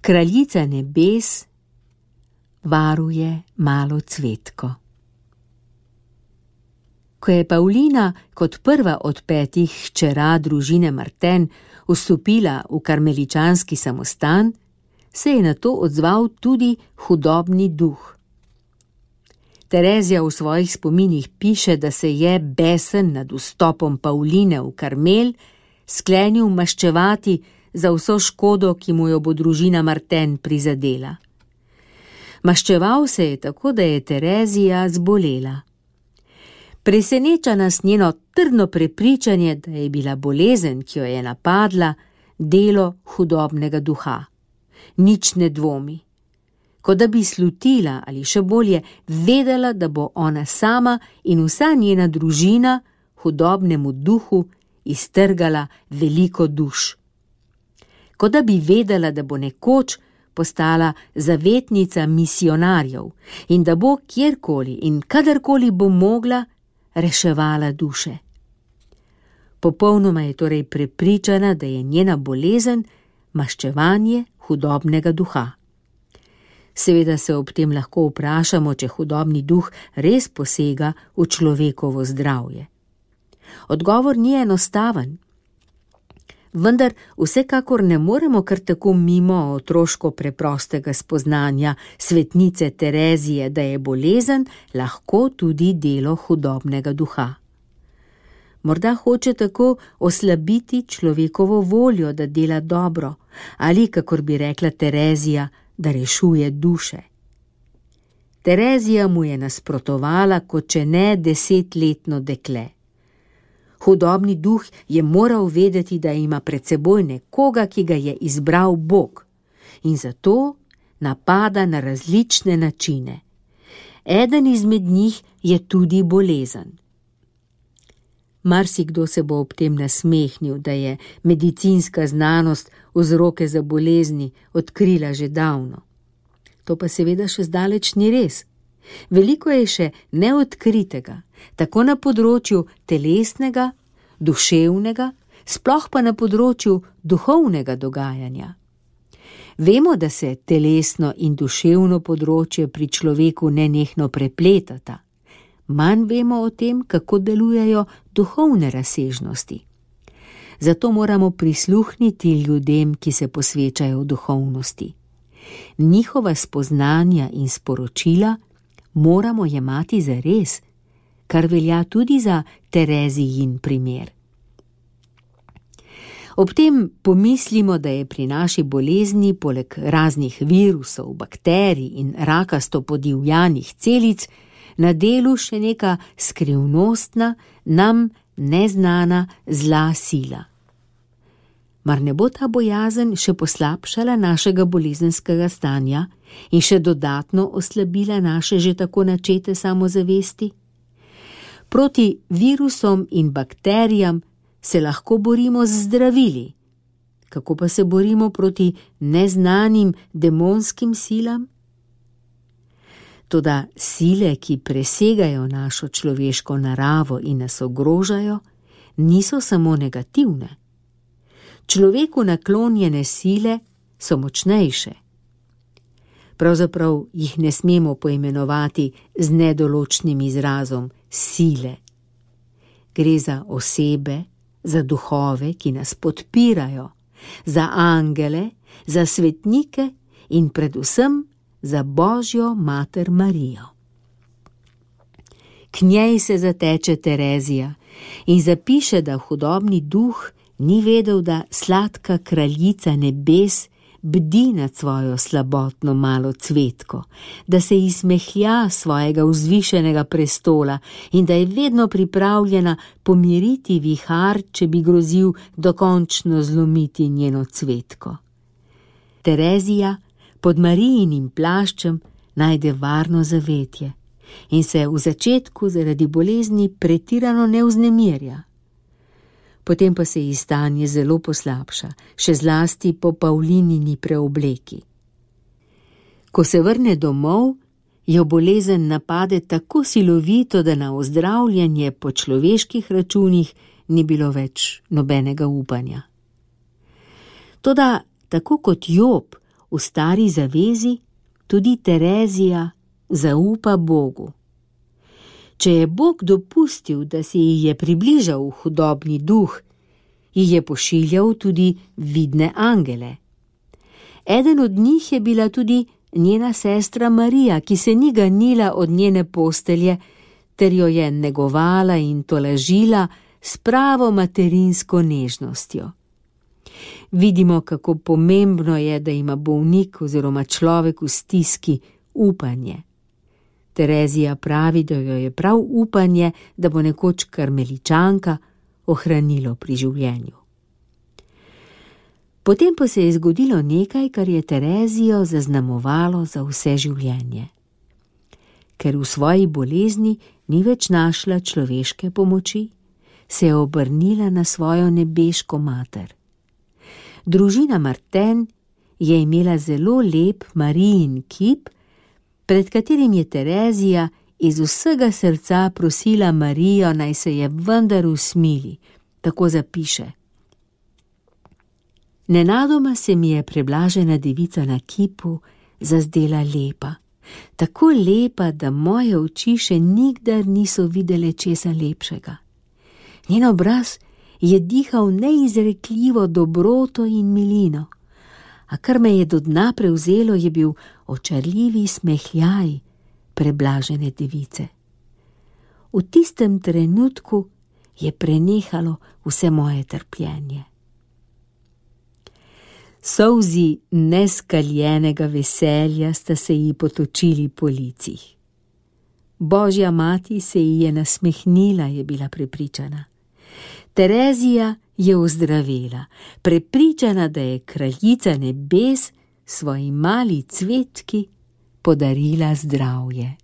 Kraljica nebes varuje malo cvetko. Ko je Pavlina kot prva od 5 hčera družine Marten vstopila v karmeličanski samostan, se je na to odzval tudi hudobni duh. Terezija v svojih spominih piše, da se je besen nad vstopom Pavline v Karmel sklenil maščevati za vso škodo, ki mu jo bo družina Marten prizadela. Maščeval se je tako, da je Terezija zbolela. Preseneča nas njeno trdno prepričanje, da je bila bolezen, ki jo je napadla, delo hudobnega duha. Nič ne dvomi. Kot da bi slutila ali še bolje vedela, da bo ona sama in vsa njena družina hudobnemu duhu iztrgala veliko duš. Kot da bi vedela, da bo nekoč postala zavetnica misionarjev in da bo kjerkoli in kadarkoli bo mogla reševala duše. Popolnoma je torej prepričana, da je njena bolezen maščevanje hudobnega duha. Seveda se ob tem lahko vprašamo, če hudobni duh res posega v človekovo zdravje. Odgovor ni enostaven, vendar vsekakor ne moremo kar tako mimo otroško preprostega spoznanja svetnice Terezije, da je bolezen lahko tudi delo hudobnega duha. Morda hoče tako oslabiti človekovo voljo, da dela dobro, ali, kakor bi rekla Terezija, da rešuje duše. Terezija mu je nasprotovala, kot če ne 10-letno dekle. Hudobni duh je moral vedeti, da ima pred seboj nekoga, ki ga je izbral Bog, in zato napada na različne načine. Eden izmed njih je tudi bolezen. Marsikdo se bo ob tem nasmehnil, da je medicinska znanost vzroke za bolezni odkrila že davno. To pa seveda še zdaleč ni res. Veliko je še neodkritega, tako na področju telesnega, duševnega, sploh pa na področju duhovnega dogajanja. Vemo, da se telesno in duševno področje pri človeku nenehno prepletata. Manj vemo o tem, kako delujejo duhovne razsežnosti. Zato moramo prisluhniti ljudem, ki se posvečajo duhovnosti. Njihova spoznanja in sporočila moramo jemati za res, kar velja tudi za Terezijin primer. Ob tem pomislimo, da je pri naši bolezni poleg raznih virusov, bakterij in rakasto podivjanih celic na delu še neka skrivnostna, nam neznana zla sila. Mar ne bo ta bojazen še poslabšala našega bolezenskega stanja in še dodatno oslabila naše že tako načete samozavesti? Proti virusom in bakterijam se lahko borimo z zdravili. Kako pa se borimo proti neznanim demonskim silam? Toda sile, ki presegajo našo človeško naravo in nas ogrožajo, niso samo negativne. Človeku naklonjene sile so močnejše. Pravzaprav jih ne smemo poimenovati z nedoločnim izrazom sile. Gre za osebe, za duhove, ki nas podpirajo, za angele, za svetnike in predvsem za Božjo mater Marijo. K njej se zateče Terezija in zapiše, da hudobni duh ni vedel, da sladka kraljica nebes bdi nad svojo slabotno malo cvetko, da se ji smehlja svojega vzvišenega prestola in da je vedno pripravljena pomiriti vihar, če bi grozil dokončno zlomiti njeno cvetko. Terezija pod Marijinim plaščem najde varno zavetje in se v začetku zaradi bolezni pretirano ne vznemirja. Potem pa se ji stanje zelo poslabša, še zlasti po Pavlinini preobleki. Ko se vrne domov, jo bolezen napade tako silovito, da na ozdravljanje po človeških računih ni bilo več nobenega upanja. Toda tako kot Job v stari zavezi tudi Terezija zaupa Bogu. Če je Bog dopustil, da se ji je približal hudobni duh, ji je pošiljal tudi vidne angele. Eden od njih je bila tudi njena sestra Marija, ki se ni ganila od njene postelje, ter jo je negovala in tolažila s pravo materinsko nežnostjo. Vidimo, kako pomembno je, da ima bolnik oziroma človek v stiski upanje. Terezija pravi, da jo je prav upanje, da bo nekoč karmeličanka, ohranilo pri življenju. Potem pa se je zgodilo nekaj, kar je Terezijo zaznamovalo za vse življenje. Ker v svoji bolezni ni več našla človeške pomoči, se je obrnila na svojo nebeško mater. Družina Marten je imela zelo lep Marijin kip, pred katerim je Terezija iz vsega srca prosila Marijo, naj se je vendar usmili, tako zapiše. Nenadoma se mi je preblažena devica na kipu zazdela lepa, tako lepa, da moje oči še nikdar niso videle česa lepšega. Njen obraz je dihal neizrekljivo dobroto in milino, a kar me je do dna prevzelo, je bil očarljivi smehljaj preblažene device. V tistem trenutku je prenehalo vse moje trpljenje. Solzi neskaljenega veselja sta se ji potočili po licih. Božja mati se ji je nasmehnila, je bila prepričana. Terezija je ozdravela, prepričana, da je kraljica nebes svoji mali cvetki podarila zdravje.